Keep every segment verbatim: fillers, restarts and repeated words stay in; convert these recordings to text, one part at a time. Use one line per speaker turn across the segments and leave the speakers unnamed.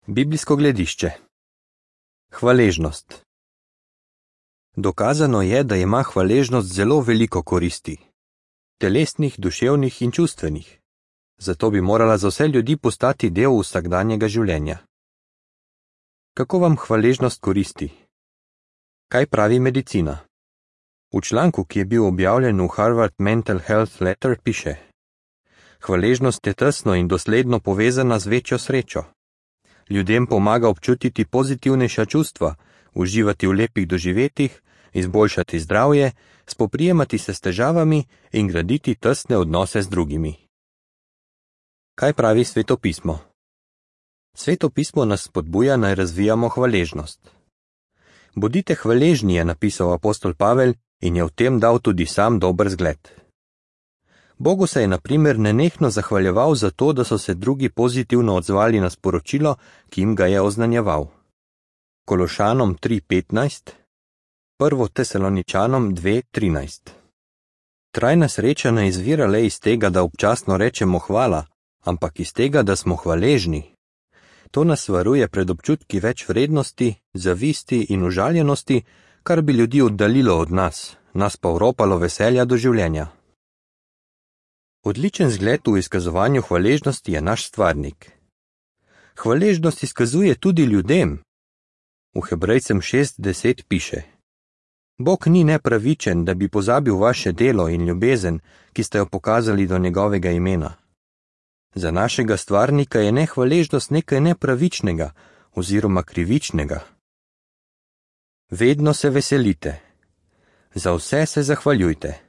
Biblijsko gledišče. Hvaležnost. Dokazano je, da ima hvaležnost zelo veliko koristi. Telesnih, duševnih in čustvenih. Zato bi morala za vse ljudi postati del vsakdanjega življenja. Kako vam hvaležnost koristi? Kaj pravi medicina? V članku, ki je bil objavljen v Harvard Mental Health Letter, piše: hvaležnost je tesno in dosledno povezana z večjo srečo. Ljudem pomaga občutiti pozitivnejša čustva, uživati v lepih doživetjih, izboljšati zdravje, spoprijemati se s težavami in graditi tesne odnose z drugimi. Kaj pravi Sveto pismo? Sveto pismo nas spodbuja, naj razvijamo hvaležnost. Bodite hvaležni, je napisal apostol Pavel in je v tem dal tudi sam dober zgled. Bogu se je na primer nenehno zahvaljeval za to, da so se drugi pozitivno odzvali na sporočilo, ki jim ga je oznanjeval. Kološanom tri petnajst, prvo Tesaloničanom dve trinajst. Trajna sreča ne izvira le iz tega, da občasno rečemo hvala, ampak iz tega, da smo hvaležni. To nas varuje pred občutki več vrednosti, zavisti in užaljenosti, kar bi ljudi oddaljilo od nas, nas pa vropalo veselja do življenja. Odličen zgled v izkazovanju hvaležnosti je naš stvarnik. Hvaležnost izkazuje tudi ljudem. V Hebrejcem šest deset piše: Bog ni nepravičen, da bi pozabil vaše delo in ljubezen, ki ste jo pokazali do njegovega imena. Za našega stvarnika je nehvaležnost nekaj nepravičnega oziroma krivičnega. Vedno se veselite. Za vse se zahvaljujte.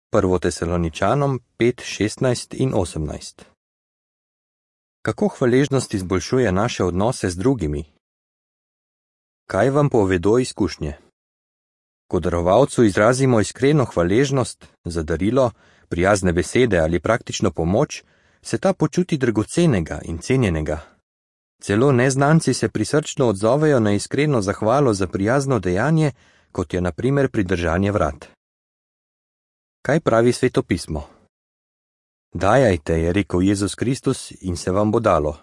prvo Tesaloničanom pet šestnajst in osemnajst. Kako hvaležnost izboljšuje naše odnose z drugimi? Kaj vam povedo izkušnje? Ko darovalcu izrazimo iskreno hvaležnost za darilo, prijazne besede ali praktično pomoč, se ta počuti dragocenega in cenjenega. Celo neznanci se prisrčno odzovejo na iskreno zahvalo za prijazno dejanje, kot je na primer pridržanje vrat. Kaj pravi Sveto pismo? Dajajte, je rekel Jezus Kristus, in se vam bo dalo.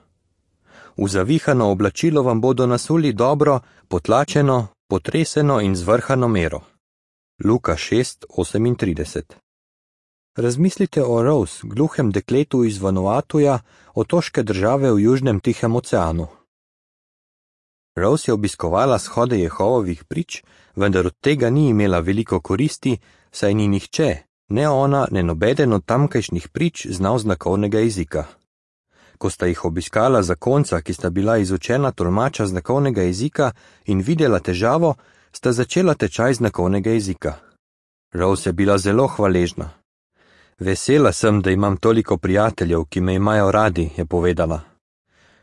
V zavihano oblačilo vam bodo nasuli dobro, potlačeno, potreseno in zvrhano mero. Luka šest osemintrideset. Razmislite o Rose, gluhem dekletu iz Vanuatuja, otoške države v Južnem Tihem oceanu. Rose je obiskovala shode Jehovovih prič, vendar od tega ni imela veliko koristi, saj ni nihče, ne ona, ne nobeden od tamkajšnjih prič znal znakovnega jezika. Ko sta jih obiskala zakonca, ki sta bila izučena tolmača znakovnega jezika in videla težavo, sta začela tečaj znakovnega jezika. Rose je bila zelo hvaležna. Vesela sem, da imam toliko prijateljev, ki me imajo radi, je povedala.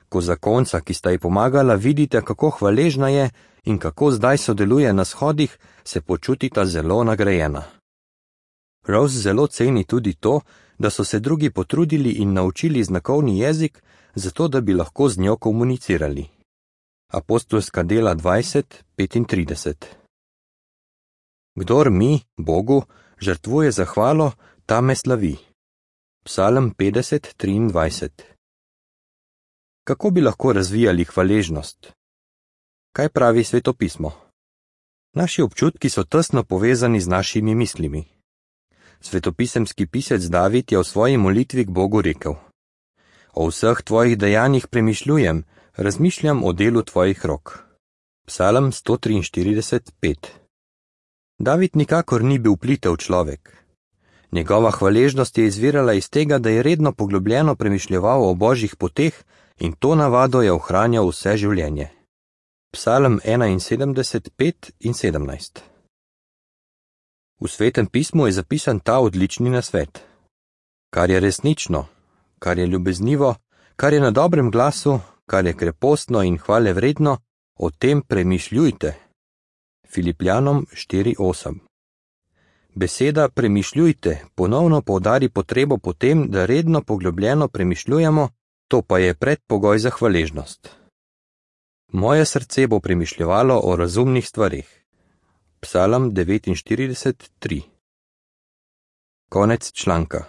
Ko zakonca, ki sta ji pomagala, vidite, kako hvaležna je in kako zdaj sodeluje na shodih, se počutita zelo nagrajena. Rose zelo ceni tudi to, da so se drugi potrudili in naučili znakovni jezik, zato da bi lahko z njo komunicirali. Apostolska dela dvajset petintrideset. Kdor mi, Bogu, žrtvuje zahvalo, ta me slavi. Psalm petdeset triindvajset. Kako bi lahko razvijali hvaležnost? Kaj pravi Sveto pismo? Naši občutki so tesno povezani z našimi mislimi. Svetopisemski pisec David je v svoji molitvi k Bogu rekel: O vseh tvojih dejanjih premišljujem, razmišljam o delu tvojih rok. Psalm sto triinštirideset pet. David nikakor ni bil plitev človek. Njegova hvaležnost je izvirala iz tega, da je redno poglobljeno premišljeval o božjih poteh in to navado je ohranjal vse življenje. Psalm enainsedemdeset pet in sedemnajst. V Svetem pismu je zapisan ta odlični nasvet. Kar je resnično, kar je ljubeznivo, kar je na dobrem glasu, kar je krepostno in hvale vredno, o tem premišljujte. Filipljanom štiri osem. Beseda premišljujte ponovno poudari potrebo po tem, da redno poglobljeno premišljujemo, to pa je predpogoj za hvaležnost. Moje srce bo premišljevalo o razumnih stvareh. Psalm devetinštirideset tri. Konec članka.